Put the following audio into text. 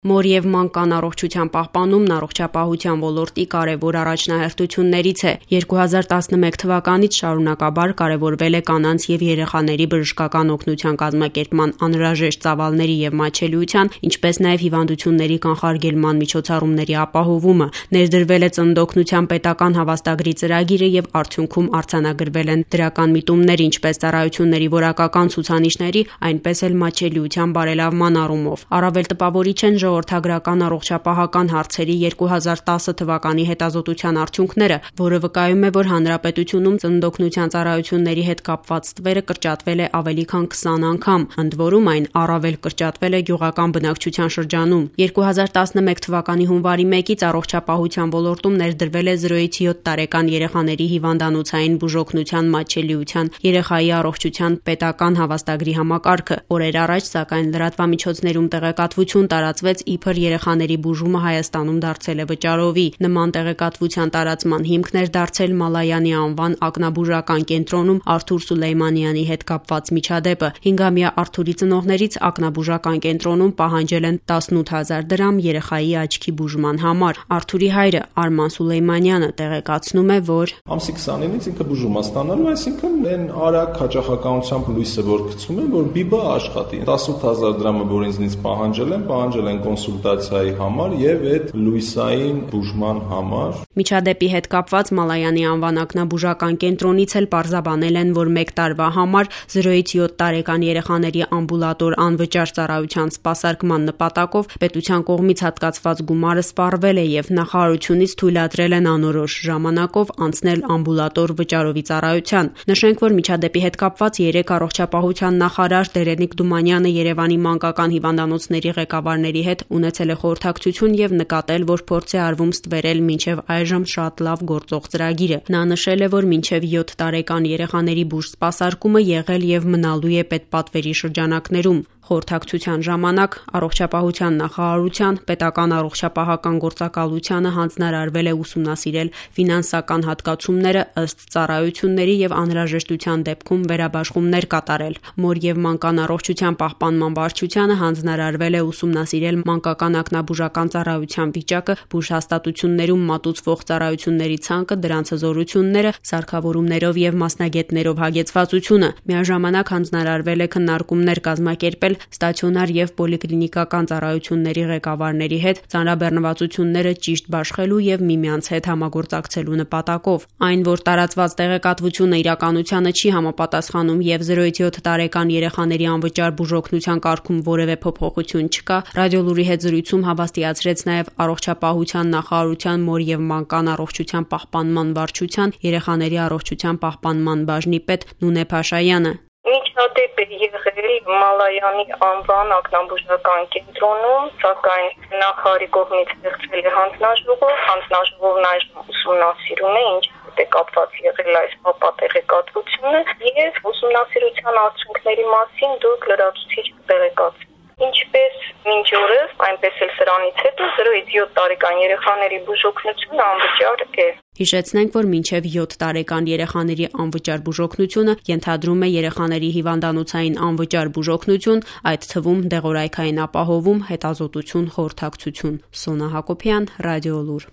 Մոր եւ մանկան առողջության պահպանումն առողջապահության ոլորտի կարևոր առաջնահերթություններից է։ 2011 թվականից շարունակաբար կարևորվել է կանանց եւ երեխաների բժշկական օգնության կազմակերպման անհրաժեշտ ծավալների եւ մատչելիության, ինչպես նաեւ հիվանդությունների կանխարգելման միջոցառումների ապահովումը։ Ներդրվել է ծննդօգնության պետական հավաստագրի ծրագիրը եւ արդյունքում արձանագրվել են դրական միտումներ, ինչպես ծառայությունների որակական ցուցանիշների, այնպես էլ մատչելիության բարելավման առումով։ Առավել տպավորիչ են ժողովրդագրական առողջապահական հարցերի 2010 թվականի հետազոտության արդյունքները, որը վկայում է, որ հանրապետությունում ծննդօգնության ծառայությունների հետ կապված թվերը կրճատվել է ավելի քան 20 անգամ, ընդ որում այն առավել կրճատվել է գյուղական բնակչության շրջանում։ 2011 թվականի հունվարի 1-ից առողջապահության ոլորտում ներդրվել է 0-ից 7 տարեկան երեխաների հիվանդանոցային բուժօգնության մատչելիության երեխայի առողջության պետական հավաստագրի համակարգը։ Օրեր առաջ, սակայն, լրատվամիջոցներում տեղեկատվություն տարածվեց, իբր երեխաների բուժումը Հայաստանում դարձել է վճարովի։ Նման տեղեկատվության տարածման հիմքն էր դարձել Մալայանի անվան ակնաբուժական կենտրոնում Արթուր Սուլեյմանյանի հետ կապված միջադեպը։ 5-ամյա Արթուրի ծնողներից ակնաբուժական կենտրոնում պահանջել են 18,000 դրամ երեխայի աչքի բուժման համար։ Արթուրի հայրը Արման Սուլեյմանյանը տեղեկացնում է, որ ամսի 29-ից ինքը բուժում է ստանալու, այսինքն այն արագ հաճախականությամբ լույսը որ գցում են, որ բիբը աշխատի։ 18,000 դրամը, որ ինձնից պահանջել են կոնսուլտացիայի համար եւ այդ լույսային բուժման համար։ Միջադեպի հետ կապված Մալայանի անվան ակնաբուժական կենտրոնից էլ պարզաբանել են, որ 1 տարվա համար 0-ից 7 տարեկան երեխաների ամբուլատոր անվճար ծառայության սպասարկման նպատակով պետության կողմից հատկացված գումարը սպառվել է եւ նախարարությունից թույլատրել են անորոշ ժամանակով անցնել ամբուլատոր վճարովի ծառայության։ Նշենք, որ միջադեպի հետ կապված 3 առողջապահության նախարար Տերենիկ Դումանյանը Երևանի մանկական հիվանդանոցների ղեկավարների հետ ունեցել է խորհրդակցություն եւ նկատել, որ փորձ է արվում ստվերել մինչեւ այժմ շատ լավ գործող ծրագիրը։ Նա նշել է, որ մինչեւ 7 տարեկան երեխաների բուժ սպասարկումը եղել եւ մնալու է պետպատվերի շրջանակներում։ Խորհրդակցության ժամանակ առողջապահության նախարարության պետական առողջապահական գործակալությանը հանձնարարվել է ուսումնասիրել ֆինանսական հատկացումները ըստ ծառայությունների եւ անհրաժեշտության դեպքում վերաբաշխումներ կատարել։ Մոր եւ մանկան առողջության պահպանման վարչությանը հանձնարարվել է ուսումնասիրել մանկական ակնաբուժական ծառայության վիճակը, բուժհաստատություններում մատուցվող ծառայությունների ցանկը, դրանց հզորությունները, սարքավորումներով եւ մասնագետներով հագեցվածությունը։ Միաժամանակ հանձնարարվել է քննարկումներ կազմակերպել ստացիոնար եւ պոլիկլինիկական ծառայությունների ղեկավարների հետ ծանրաբեռնվածությունները ճիշտ բաշխելու եւ միմյանց հետ համագործակցելու նպատակով։ Այն, որ տարածված տեղեկատվությունը իրականությանը չի համապատասխանում եւ 0-ից 7 տարեկան երեխաների անվճար բուժօգնության կարգում որևէ փոփոխություն չկա, Ռադիոլուրի հետ զրույցում հավաստիացրեց նաեւ առողջապահության նախարարության մոր եւ մանկան առողջության պահպանման վարչության երեխաների առողջության պահպանման բաժնի պետ Նունե Փաշայանը։ Միջադեպ է եղել Մալայանի անվան ակնաբուժական կենտրոնում, սակայն նախարարի կողմից ստեղծվել է հանձնաժողովն այժմ ուսումնասիրում է, ինչ է կապված եղել այս տեղեկատվությունը եւ ուսումնասիրության արդյունքների մասին դուք լրացուցիչ տեղեկացրեք։ Ինչպես մինչ օրս, այնպես էլ սրանից հետո 0-ից 7 տարեկան երեխաների բուժօգնությունը անվճար է։ Հիշեցնենք, որ մինչև 7 տարեկան երեխաների անվճար բուժօգնությունը ենթադրում է երեխաների հիվանդանոցային անվճար բուժօգնություն, այդ թվում դեղորայքային ապահովում, հետազոտություն, խորհրդակցություն։ Սոնա Հակոբյան, Ռադիոլուր։